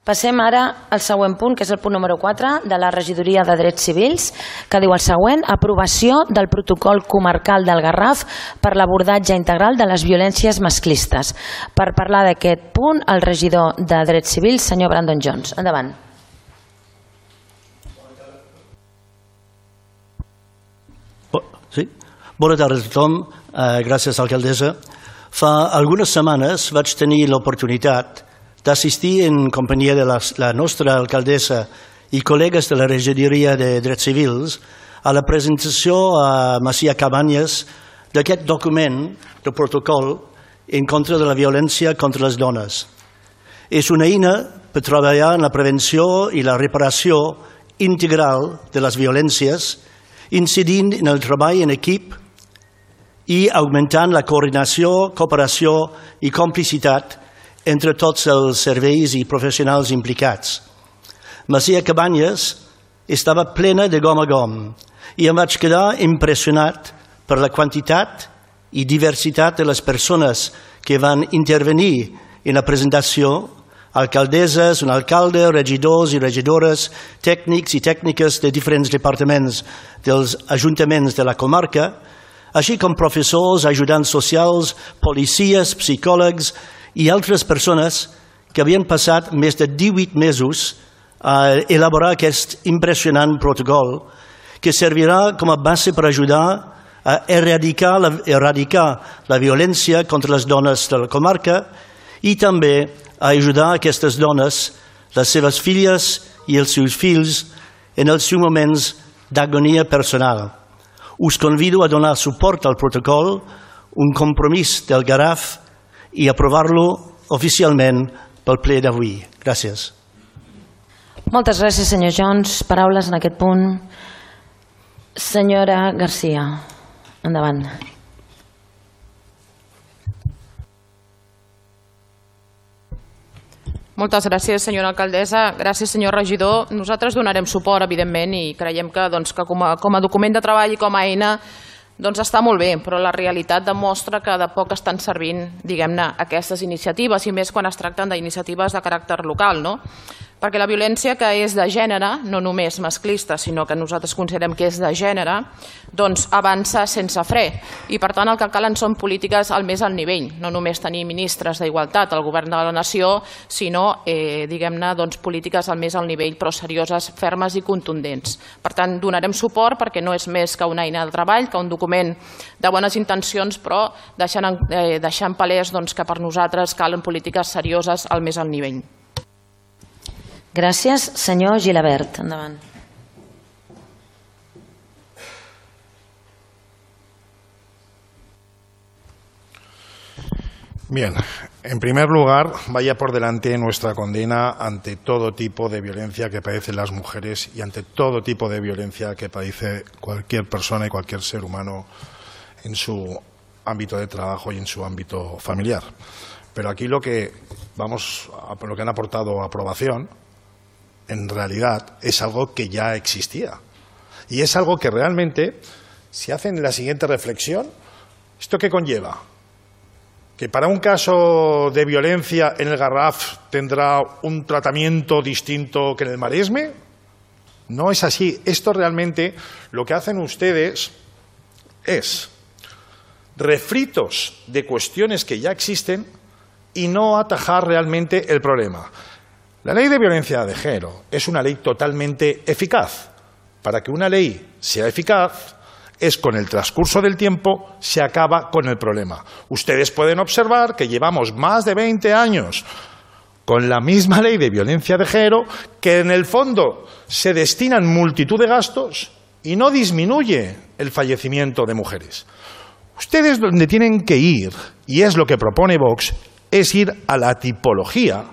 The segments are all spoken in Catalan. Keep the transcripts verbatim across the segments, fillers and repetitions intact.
Passem ara al següent punt, que és el punt número quatre de la Regidoria de Drets Civils, que diu el següent: aprovació del protocol comarcal del Garraf per l'abordatge integral de les violències masclistes. Per parlar d'aquest punt, el regidor de Drets Civils, senyor Brandon Jones. Endavant. Sí. Bona tarda a tothom. Uh, gràcies, alcaldessa. Fa algunes setmanes vaig tenir l'oportunitat d'assistir en companyia de la, la nostra alcaldessa i col·legues de la Regidoria de Drets Civils a la presentació a Macia Cabanyes d'aquest document de protocol en contra de la violència contra les dones. És una eina per treballar en la prevenció i la reparació integral de les violències, incidint en el treball en equip i augmentant la coordinació, cooperació i complicitat entre tots els serveis i professionals implicats. Macia Cabanyes estava plena de gom a gom i em vaig quedar impressionat per la quantitat i diversitat de les persones que van intervenir en la presentació: alcaldesses, un alcalde, regidors i regidores, tècnics i tècniques de diferents departaments dels ajuntaments de la comarca, així com professors, ajudants socials, policies, psicòlegs i altres persones que havien passat més de divuit mesos a elaborar aquest impressionant protocol que servirà com a base per ajudar a erradicar la, erradicar la violència contra les dones de la comarca i també a ajudar aquestes dones, les seves filles i els seus fills en els seus moments d'agonia personal. Us convido a donar suport al protocol, un compromís del Garraf, i aprovar-lo oficialment pel ple d'avui. Gràcies. Moltes gràcies, senyor Jones. Paraules en aquest punt. Senyora Garcia, endavant. Moltes gràcies, senyora alcaldessa. Gràcies, senyor regidor. Nosaltres donarem suport, evidentment, i creiem que, doncs, que com, a, com a document de treball i com a eina doncs està molt bé, però la realitat demostra que de poc estan servint, diguem-ne, aquestes iniciatives, i més quan es tracten d'iniciatives de caràcter local, no? Perquè la violència que és de gènere, no només masclista, sinó que nosaltres considerem que és de gènere, doncs avança sense fre. I per tant el que calen són polítiques al més alt nivell, no només tenir ministres d'igualtat al govern de la nació, sinó, eh, diguem-ne, doncs, polítiques al més alt nivell, però serioses, fermes i contundents. Per tant, donarem suport perquè no és més que una eina de treball, que un document de bones intencions, però deixant, eh, deixant palès doncs, que per nosaltres calen polítiques serioses al més alt nivell. Gràcies. Senyor Gilabert, endavant. Bien, en primer lugar, vaya por delante nuestra condena ante todo tipo de violencia que padecen las mujeres y ante todo tipo de violencia que padece cualquier persona y cualquier ser humano en su ámbito de trabajo y en su ámbito familiar. Pero aquí lo que, vamos a, lo que han aportado aprobación, en realidad es algo que ya existía. Y es algo que realmente, si hacen la siguiente reflexión, ¿esto qué conlleva? ¿Que para un caso de violencia en el Garraf tendrá un tratamiento distinto que en el Maresme? No es así. Esto realmente lo que hacen ustedes es refritos de cuestiones que ya existen y no atajar realmente el problema. La ley de violencia de género es una ley totalmente eficaz. Para que una ley sea eficaz, es con el transcurso del tiempo se acaba con el problema. Ustedes pueden observar que llevamos más de veinte años con la misma ley de violencia de género, que en el fondo se destinan multitud de gastos y no disminuye el fallecimiento de mujeres. Ustedes donde tienen que ir, y es lo que propone Vox, es ir a la tipología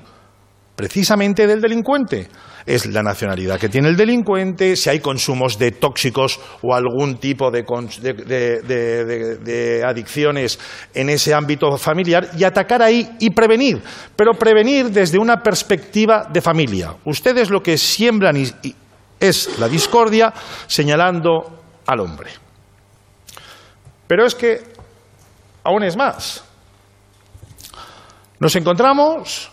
precisamente del delincuente. Es la nacionalidad que tiene el delincuente, si hay consumos de tóxicos o algún tipo de, de, de, de, de adicciones en ese ámbito familiar, y atacar ahí y prevenir, pero prevenir desde una perspectiva de familia. Ustedes lo que siembran y, y es la discordia señalando al hombre. Pero es que aún es más. Nos encontramos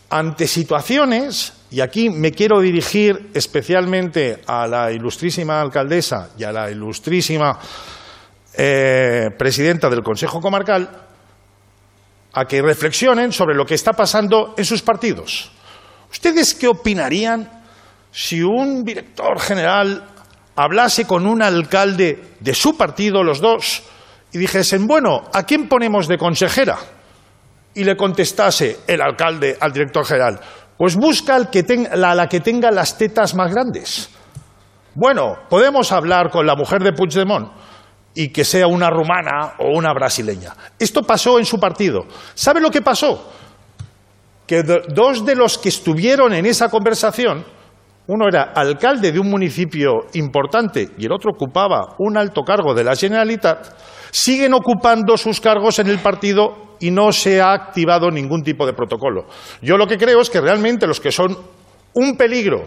ante situaciones, y aquí me quiero dirigir especialmente a la ilustrísima alcaldesa y a la ilustrísima eh, presidenta del Consejo Comarcal, a que reflexionen sobre lo que está pasando en sus partidos. ¿Ustedes qué opinarían si un director general hablase con un alcalde de su partido, los dos, y dijesen, bueno, ¿a quién ponemos de consejera? Y le contestase el alcalde al director general, pues busca al que tenga, la, la que tenga las tetas más grandes. Bueno, podemos hablar con la mujer de Puigdemont y que sea una rumana o una brasileña. Esto pasó en su partido. ¿Sabe lo que pasó? Que do, dos de los que estuvieron en esa conversación, uno era alcalde de un municipio importante y el otro ocupaba un alto cargo de la Generalitat, siguen ocupando sus cargos en el partido y no se ha activado ningún tipo de protocolo. Yo lo que creo es que realmente los que son un peligro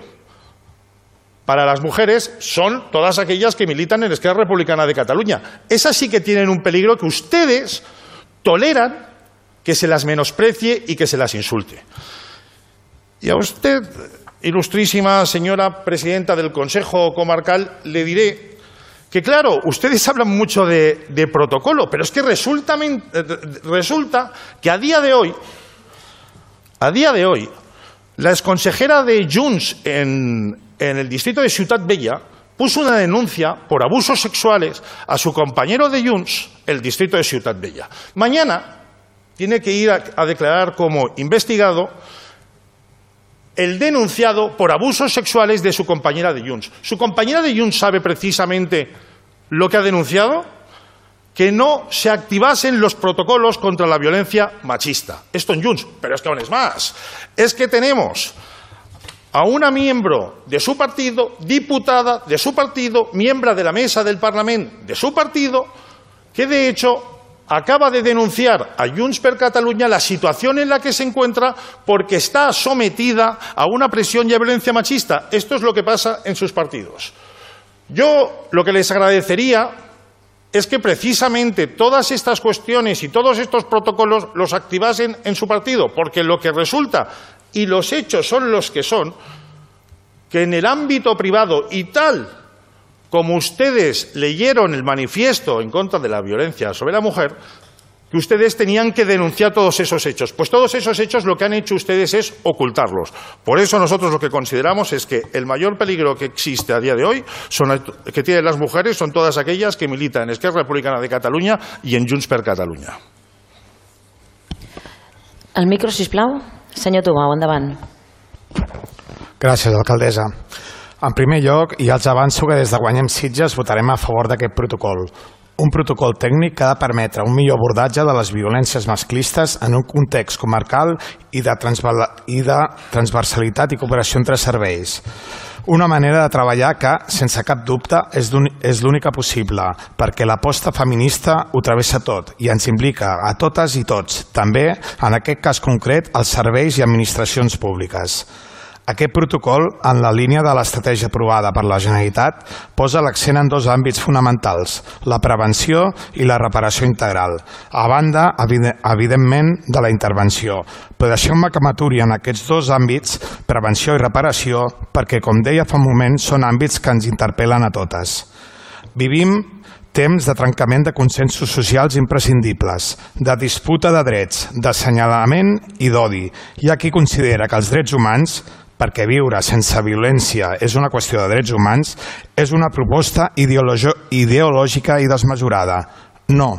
para las mujeres son todas aquellas que militan en Esquerra Republicana de Cataluña. Esas sí que tienen un peligro que ustedes toleran que se las menosprecie y que se las insulte. Y a usted, ilustrísima señora presidenta del Consejo Comarcal, le diré que, claro, ustedes hablan mucho de, de protocolo, pero es que resulta, resulta que a día de hoy, a día de hoy, la exconsejera de Junts en, en el distrito de Ciutat Vella puso una denuncia por abusos sexuales a su compañero de Junts, el distrito de Ciutat Vella. Mañana tiene que ir a, a declarar como investigado el denunciado por abusos sexuales de su compañera de Junts. ¿Su compañera de Junts sabe precisamente lo que ha denunciado? Que no se activasen los protocolos contra la violencia machista. Esto en Junts, pero es que aún es más. Es que tenemos a una miembro de su partido, diputada de su partido, miembro de la mesa del Parlamento de su partido, que de hecho acaba de denunciar a Junts per Catalunya la situación en la que se encuentra porque está sometida a una presión y a violencia machista. Esto es lo que pasa en sus partidos. Yo lo que les agradecería es que precisamente todas estas cuestiones y todos estos protocolos los activasen en su partido, porque lo que resulta, y los hechos son los que son, que en el ámbito privado y tal como ustedes leyeron el manifiesto en contra de la violencia sobre la mujer, que ustedes tenían que denunciar todos esos hechos. Pues todos esos hechos lo que han hecho ustedes es ocultarlos. Por eso nosotros lo que consideramos es que el mayor peligro que existe a día de hoy, son, que tienen las mujeres, son todas aquellas que militan en Esquerra Republicana de Catalunya i en Junts per Catalunya. El micro, sisplau. Senyor Tubau, endavant. Gràcies, alcaldessa. En primer lloc, ja els avanço que des de Guanyem Sitges votarem a favor d'aquest protocol. Un protocol tècnic que ha de permetre un millor abordatge de les violències masclistes en un context comarcal i de, i de transversalitat i cooperació entre serveis. Una manera de treballar que, sense cap dubte, és l'única possible, perquè l'aposta feminista ho travessa tot i ens implica a totes i tots, també, en aquest cas concret, els serveis i administracions públiques. Aquest protocol, en la línia de l'estratègia aprovada per la Generalitat, posa l'accent en dos àmbits fonamentals, la prevenció i la reparació integral, a banda, evidentment, de la intervenció. Però deixeu-me que m'aturi en aquests dos àmbits, prevenció i reparació, perquè, com deia fa un moment, són àmbits que ens interpel·len a totes. Vivim temps de trencament de consensos socials imprescindibles, de disputa de drets, d'assenyalament i d'odi. Hi ha qui considera que els drets humans, perquè viure sense violència és una qüestió de drets humans, és una proposta ideològica i desmesurada. No,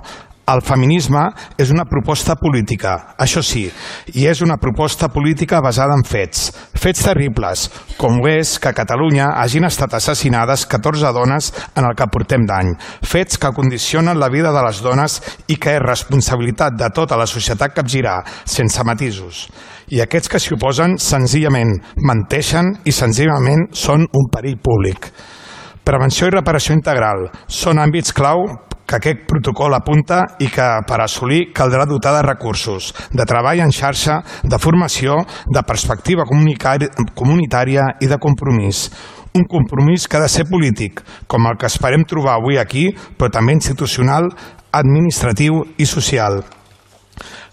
el feminisme és una proposta política, això sí, i és una proposta política basada en fets, fets terribles, com ho és que a Catalunya hagin estat assassinades catorze dones en el que portem d'any, fets que condicionen la vida de les dones i que és responsabilitat de tota la societat capgirar, sense matisos. I aquests que s'hi oposen senzillament menteixen i senzillament són un perill públic. Prevenció i reparació integral són àmbits clau que aquest protocol apunta i que per assolir caldrà dotar de recursos, de treball en xarxa, de formació, de perspectiva comunitària i de compromís. Un compromís que ha de ser polític, com el que esperem trobar avui aquí, però també institucional, administratiu i social.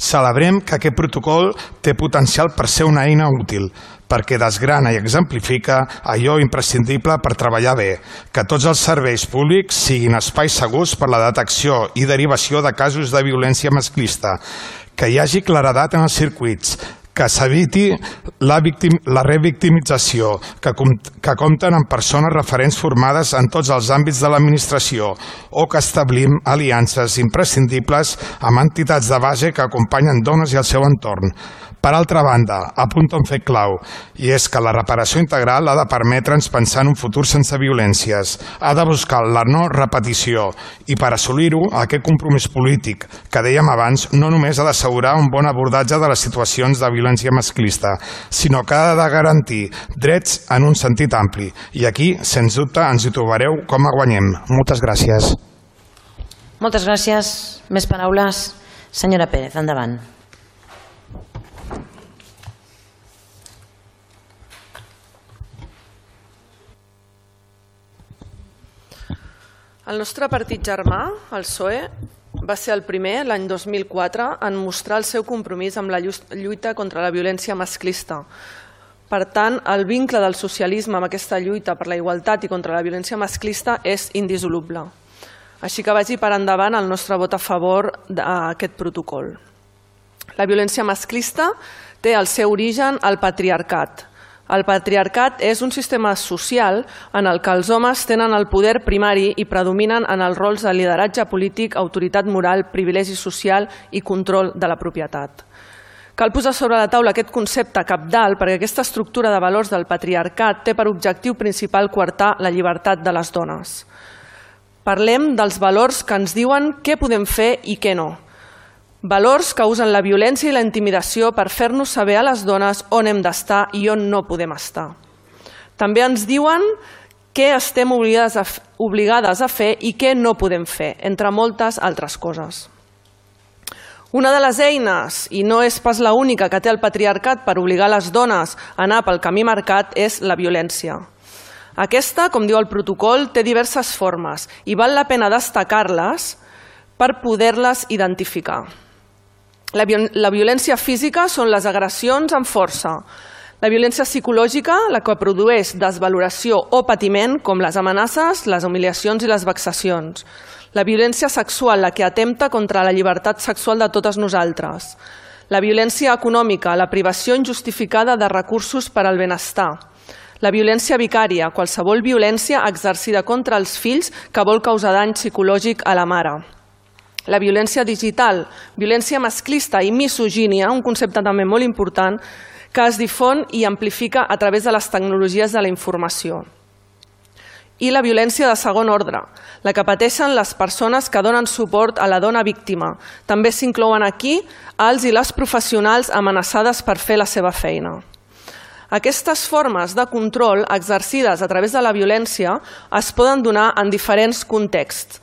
Celebrem que aquest protocol té potencial per ser una eina útil, perquè desgrana i exemplifica allò imprescindible per treballar bé, que tots els serveis públics siguin espais segurs per la detecció i derivació de casos de violència masclista, que hi hagi claredat en els circuits, que s'eviti la, victim, la revictimització, que, com, que compten amb persones referents formades en tots els àmbits de l'administració o que establim aliances imprescindibles amb entitats de base que acompanyen dones i el seu entorn. Per altra banda, apunta un fet clau, i és que la reparació integral ha de permetre'ns pensar en un futur sense violències, ha de buscar la no repetició i per assolir-ho, aquest compromís polític que dèiem abans no només ha d'assegurar un bon abordatge de les situacions de violència masclista, sinó que ha de garantir drets en un sentit ampli. I aquí, sens dubte, ens hi trobareu com a guanyem. Moltes gràcies. Moltes gràcies. Més paraules? Senyora Pérez, endavant. El nostre partit germà, el P S O E, va ser el primer, l'any dos mil quatre, en mostrar el seu compromís amb la lluita contra la violència masclista. Per tant, el vincle del socialisme amb aquesta lluita per la igualtat i contra la violència masclista és indissoluble. Així que vagi per endavant el nostre vot a favor d'aquest protocol. La violència masclista té el seu origen al patriarcat. El patriarcat és un sistema social en el que els homes tenen el poder primari i predominen en els rols de lideratge polític, autoritat moral, privilegi social i control de la propietat. Cal posar sobre la taula aquest concepte cabdal perquè aquesta estructura de valors del patriarcat té per objectiu principal coartar la llibertat de les dones. Parlem dels valors que ens diuen què podem fer i què no. Valors que usen la violència i la intimidació per fer-nos saber a les dones on hem d'estar i on no podem estar. També ens diuen què estem obligades a, obligades a fer i què no podem fer, entre moltes altres coses. Una de les eines, i no és pas l'única que té el patriarcat per obligar les dones a anar pel camí marcat, és la violència. Aquesta, com diu el protocol, té diverses formes i val la pena destacar-les per poder-les identificar. La, la violència física són les agressions amb força. La violència psicològica, la que produeix desvaloració o patiment, com les amenaces, les humiliacions i les vexacions. La violència sexual, la que atempta contra la llibertat sexual de totes nosaltres. La violència econòmica, la privació injustificada de recursos per al benestar. La violència vicària, qualsevol violència exercida contra els fills que vol causar dany psicològic a la mare. La violència digital, violència masclista i misogínia, un concepte també molt important, que es difon i amplifica a través de les tecnologies de la informació. I la violència de segon ordre, la que pateixen les persones que donen suport a la dona víctima. També s'inclouen aquí els i les professionals amenaçades per fer la seva feina. Aquestes formes de control exercides a través de la violència es poden donar en diferents contexts.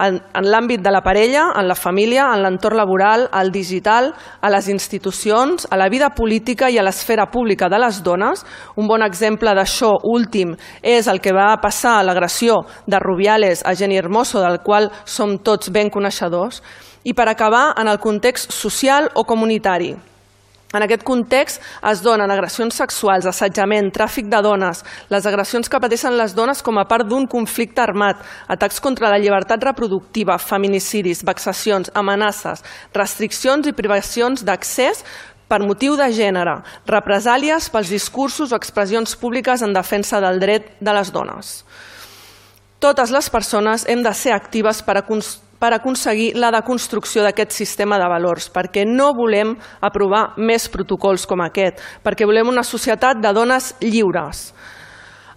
En, en l'àmbit de la parella, en la família, en l'entorn laboral, al digital, a les institucions, a la vida política i a l'esfera pública de les dones. Un bon exemple d'això últim és el que va passar a l'agressió de Rubiales a Jenny Hermoso, del qual som tots ben coneixedors. I per acabar, en el context social o comunitari. En aquest context es donen agressions sexuals, assetjament, tràfic de dones, les agressions que pateixen les dones com a part d'un conflicte armat, atacs contra la llibertat reproductiva, feminicidis, vexacions, amenaces, restriccions i privacions d'accés per motiu de gènere, represàlies pels discursos o expressions públiques en defensa del dret de les dones. Totes les persones hem de ser actives per aconseguir per aconseguir la deconstrucció d'aquest sistema de valors, perquè no volem aprovar més protocols com aquest, perquè volem una societat de dones lliures.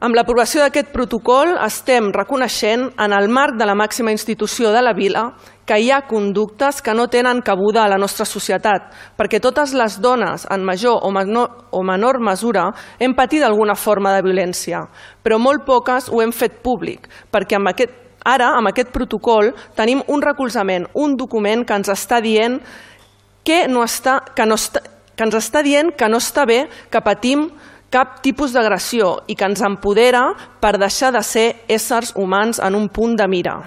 Amb l'aprovació d'aquest protocol estem reconeixent en el marc de la màxima institució de la vila que hi ha conductes que no tenen cabuda a la nostra societat, perquè totes les dones, en major o menor, o menor mesura, hem patit alguna forma de violència, però molt poques ho hem fet públic, perquè amb aquest Ara, amb aquest protocol, tenim un recolzament, un document que ens està dient que, no està, que, no està, que ens està dient que no està bé que patim cap tipus d'agressió i que ens empodera per deixar de ser éssers humans en un punt de mira.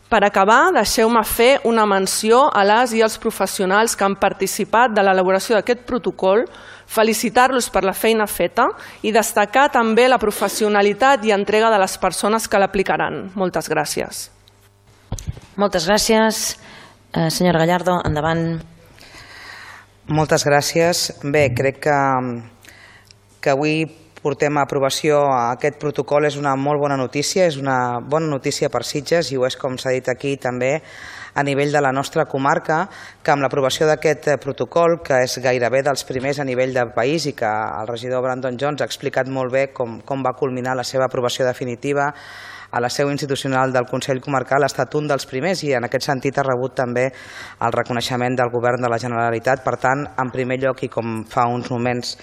Per acabar, deixeu-me fer una menció a les i els professionals que han participat de l'elaboració d'aquest protocol, felicitar-los per la feina feta i destacar també la professionalitat i entrega de les persones que l'aplicaran. Moltes gràcies. Moltes gràcies. Eh, senyora Gallardo, endavant. Moltes gràcies. Bé, crec que, que avui portem a aprovació aquest protocol. És una molt bona notícia, és una bona notícia per Sitges i ho és, com s'ha dit aquí, també a nivell de la nostra comarca, que amb l'aprovació d'aquest protocol, que és gairebé dels primers a nivell del país i que el regidor Brandon Jones ha explicat molt bé com, com va culminar la seva aprovació definitiva a la seu institucional del Consell Comarcal, ha estat un dels primers i en aquest sentit ha rebut també el reconeixement del Govern de la Generalitat. Per tant, en primer lloc, i com fa uns moments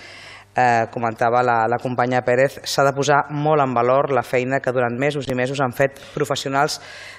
Eh, comentava la, la companya Pérez, s'ha de posar molt en valor la feina que durant mesos i mesos han fet professionals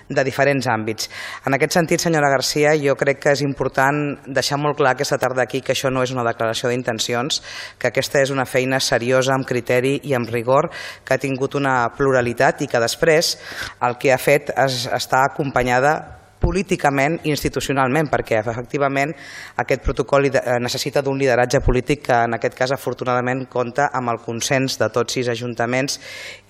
de diferents àmbits. En aquest sentit, senyora Garcia, jo crec que és important deixar molt clar aquesta tarda aquí que això no és una declaració d'intencions, que aquesta és una feina seriosa, amb criteri i amb rigor, que ha tingut una pluralitat i que després el que ha fet és estar acompanyada políticament i institucionalment, perquè efectivament aquest protocol necessita d'un lideratge polític que en aquest cas afortunadament compta amb el consens de tots sis ajuntaments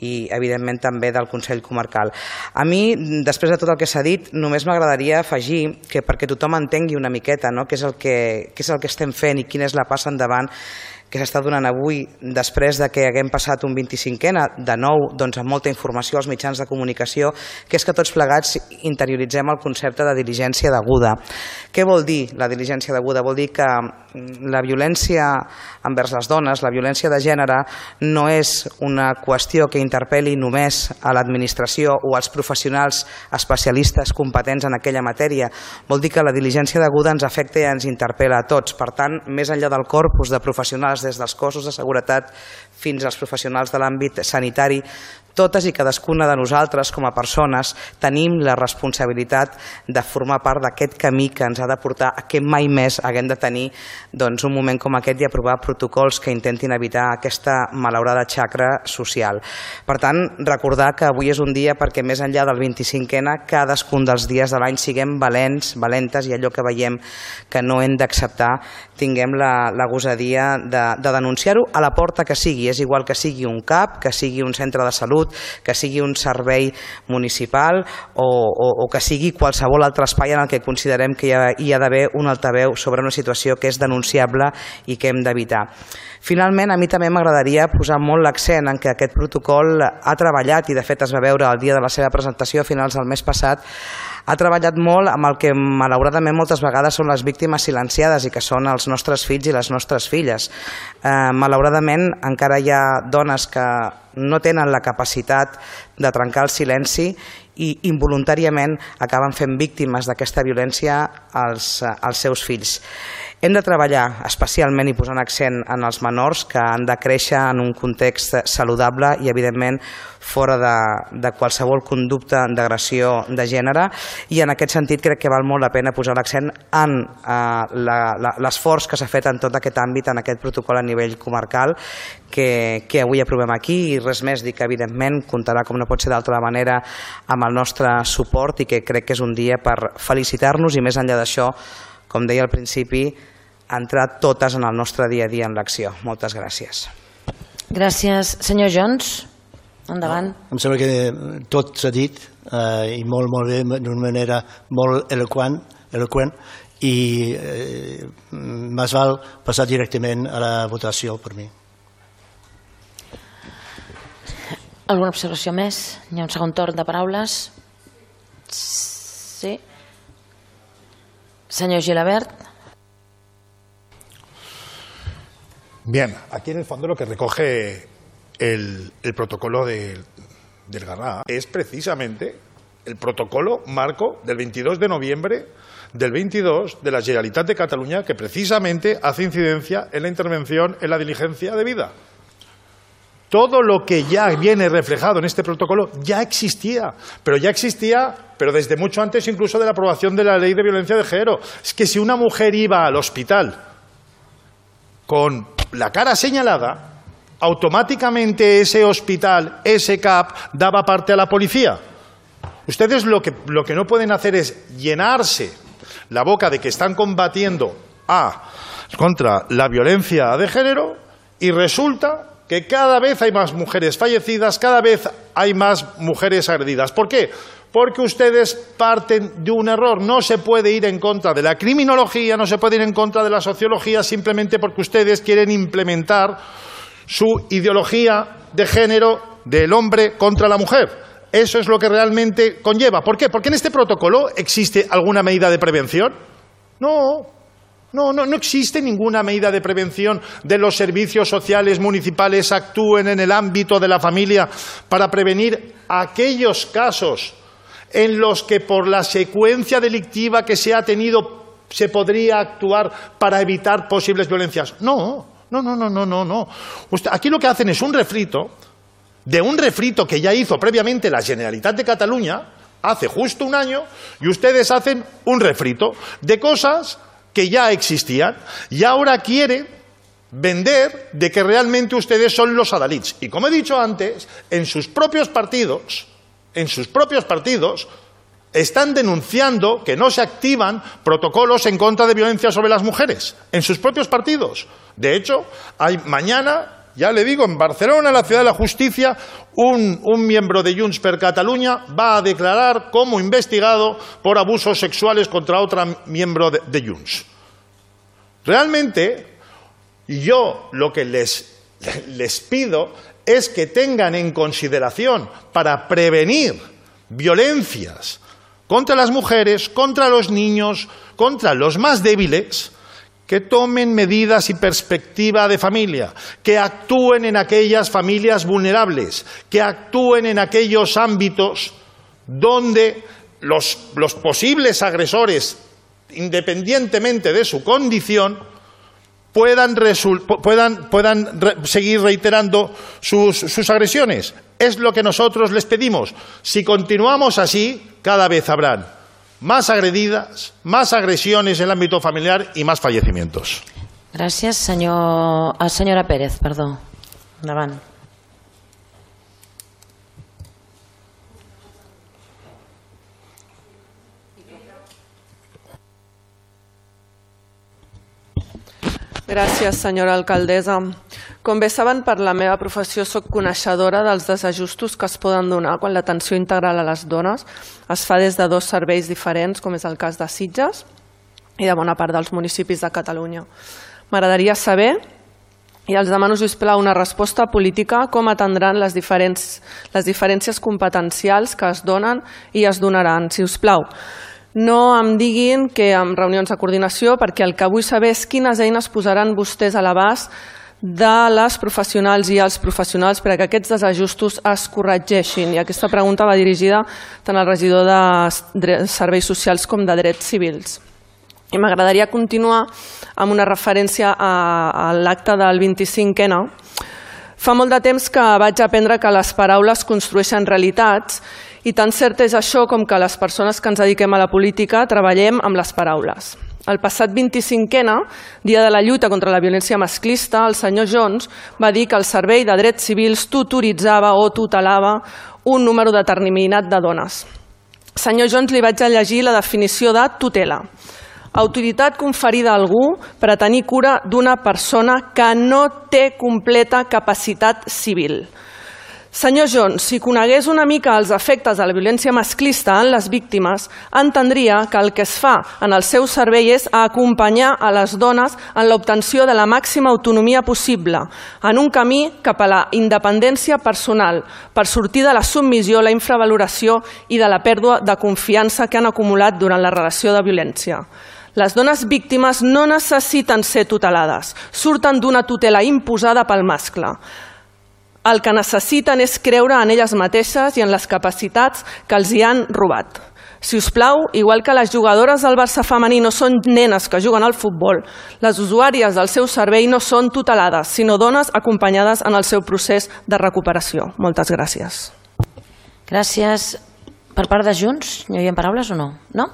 i evidentment també del Consell Comarcal. A mi, després de tot el que s'ha dit, només m'agradaria afegir que perquè tothom entengui una miqueta no, què és el que, què és el que estem fent i quina és la passa endavant que s'està donant avui després de que haguem passat un vint-i-cinquena, de nou doncs, amb molta informació als mitjans de comunicació, que és que tots plegats interioritzem el concepte de diligència deguda. Què vol dir la diligència deguda? Vol dir que la violència envers les dones, la violència de gènere, no és una qüestió que interpel·li només a l'administració o als professionals especialistes competents en aquella matèria. Vol dir que la diligència deguda ens afecta i ens interpel·la a tots. Per tant, més enllà del corpus de professionals des dels cossos de seguretat fins als professionals de l'àmbit sanitari, totes i cadascuna de nosaltres com a persones tenim la responsabilitat de formar part d'aquest camí que ens ha de portar a que mai més haguem de tenir doncs, un moment com aquest i aprovar protocols que intentin evitar aquesta malaurada xacra social. Per tant, recordar que avui és un dia perquè més enllà del vint-i-cinquena, cadascun dels dies de l'any siguem valents, valentes i allò que veiem que no hem d'acceptar tinguem la, la gosadia de, de denunciar-ho a la porta que sigui. És igual que sigui un CAP, que sigui un centre de salut, que sigui un servei municipal o, o, o que sigui qualsevol altre espai en el que considerem que hi ha, hi ha d'haver un altaveu sobre una situació que és denunciable i que hem d'evitar. Finalment, a mi també m'agradaria posar molt l'accent en que aquest protocol ha treballat, i de fet es va veure el dia de la seva presentació a finals del mes passat, ha treballat molt amb el que malauradament moltes vegades són les víctimes silenciades i que són els nostres fills i les nostres filles. Eh, malauradament encara hi ha dones que no tenen la capacitat de trencar el silenci i involuntàriament acaben fent víctimes d'aquesta violència als, als seus fills. Hem de treballar especialment i posant accent en els menors que han de créixer en un context saludable i evidentment fora de, de qualsevol conducta d'agressió de gènere, i en aquest sentit crec que val molt la pena posar l'accent en eh, l'esforç que s'ha fet en tot aquest àmbit, en aquest protocol a nivell comarcal que, que avui aprovem aquí, i res més, dir que evidentment comptarà, com no pot ser d'altra manera, amb el nostre suport i que crec que és un dia per felicitar-nos i més enllà d'això, com deia al principi, entrar totes en el nostre dia a dia en l'acció. Moltes gràcies. Gràcies. Senyor Jones, endavant. No, em sembla que tot s'ha dit eh, i molt, molt bé, d'una manera molt eloquent, eloquent i eh, més val passar directament a la votació per mi. Alguna observació més? Hi ha un segon torn de paraules. Sí. Señor Gilabert. Bien, aquí en el fondo lo que recoge el, el protocolo de, del Garraf es precisamente el protocolo marco del veintidós de noviembre del veintidós de la Generalitat de Cataluña, que precisamente hace incidencia en la intervención en la diligencia debida. Todo lo que ya viene reflejado en este protocolo ya existía, pero ya existía, pero desde mucho antes incluso de la aprobación de la Ley de Violencia de Género. Es que si una mujer iba al hospital con la cara señalada, automáticamente ese hospital, ese CAP, daba parte a la policía. Ustedes lo que, lo que no pueden hacer es llenarse la boca de que están combatiendo a, contra la violencia de género y resulta que cada vez hay más mujeres fallecidas, cada vez hay más mujeres agredidas. ¿Por qué? Porque ustedes parten de un error. No se puede ir en contra de la criminología, no se puede ir en contra de la sociología simplemente porque ustedes quieren implementar su ideología de género del hombre contra la mujer. Eso es lo que realmente conlleva. ¿Por qué? Porque en este protocolo existe alguna medida de prevención. No, no, no, no existe ninguna medida de prevención de los servicios sociales municipales actúen en el ámbito de la familia para prevenir aquellos casos en los que por la secuencia delictiva que se ha tenido se podría actuar para evitar posibles violencias. No, no, no, no, no, no, no. Usted, aquí lo que hacen es un refrito de un refrito que ya hizo previamente la Generalitat de Cataluña hace justo un año y ustedes hacen un refrito de cosas que ya existían y ahora quieren vender de que realmente ustedes son los adalits. Y como he dicho antes, en sus propios partidos, en sus propios partidos, están denunciando que no se activan protocolos en contra de violencia sobre las mujeres. En sus propios partidos. De hecho, hay mañana, ya le digo, en Barcelona, la ciudad de la justicia, un, un miembro de Junts per Catalunya va a declarar como investigado por abusos sexuales contra otra miembro de, de Junts. Realmente, yo lo que les, les pido es que tengan en consideración para prevenir violencias contra las mujeres, contra los niños, contra los más débiles, que tomen medidas y perspectiva de familia, que actúen en aquellas familias vulnerables, que actúen en aquellos ámbitos donde los, los posibles agresores, independientemente de su condición, puedan, puedan, puedan re seguir reiterando sus, sus agresiones. Es lo que nosotros les pedimos. Si continuamos así, cada vez habrán más agredidas, más agresiones en el ámbito familiar y más fallecimientos. Gràcies, senyor... Ah, senyora Pérez, perdó. Endavant. Gràcies, senyora alcaldessa. Com bé saben, per la meva professió soc coneixedora dels desajustos que es poden donar quan l'atenció integral a les dones es fa des de dos serveis diferents, com és el cas de Sitges i de bona part dels municipis de Catalunya. M'agradaria saber, i els demano, sisplau, una resposta política, com atendran les, diferents, les diferències competencials que es donen i es donaran, si us plau. No em diguin que amb reunions de coordinació, perquè el que vull saber és quines eines posaran vostès a l'abast de les professionals i els professionals perquè aquests desajustos es corregeixin. I aquesta pregunta va dirigida tant al regidor de Serveis Socials com de Drets Civils. I m'agradaria continuar amb una referència a l'acte del vint-i-cinc ena. Fa molt de temps que vaig aprendre que les paraules construeixen realitats i tan cert és això com que les persones que ens dediquem a la política treballem amb les paraules. El passat vint-i-cinc ena, dia de la lluita contra la violència masclista, el senyor Jones va dir que el Servei de Drets Civils tutoritzava o tutelava un número determinat de dones. Senyor Jones, li vaig a llegir la definició de tutela. Autoritat conferida a algú per a tenir cura d'una persona que no té completa capacitat civil. Senyor Jones, si conegués una mica els efectes de la violència masclista en les víctimes, entendria que el que es fa en el seu servei és acompanyar a les dones en l'obtenció de la màxima autonomia possible, en un camí cap a la independència personal, per sortir de la submissió, la infravaloració i de la pèrdua de confiança que han acumulat durant la relació de violència. Les dones víctimes no necessiten ser tutelades, surten d'una tutela imposada pel mascle. El que necessiten és creure en elles mateixes i en les capacitats que els hi han robat. Si us plau, igual que les jugadores del Barça femení no són nenes que juguen al futbol, les usuàries del seu servei no són tutelades, sinó dones acompanyades en el seu procés de recuperació. Moltes gràcies. Gràcies. Per part de Junts, hi havia paraules o no? No?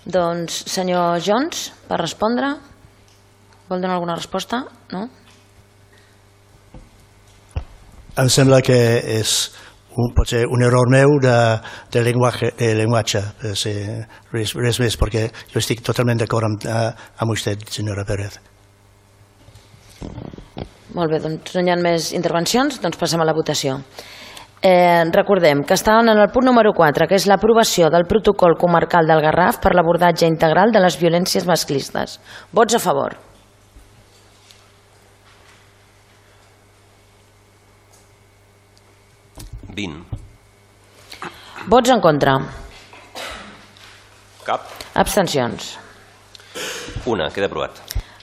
Doncs, senyor Jones, per respondre, vol donar alguna resposta? No? Em sembla que és un, potser un error meu de, de, llenguatge, de llenguatge, res, res més, perquè jo estic totalment d'acord amb, amb vostè, senyora Pérez. Molt bé, doncs no hi ha més intervencions, doncs passem a la votació. Eh, recordem que estàvem en el punt número quatre, que és l'aprovació del protocol comarcal del Garraf per l'abordatge integral de les violències masclistes. Vots a favor. vint. Vots en contra. Cap. Abstencions. Una, queda aprovat.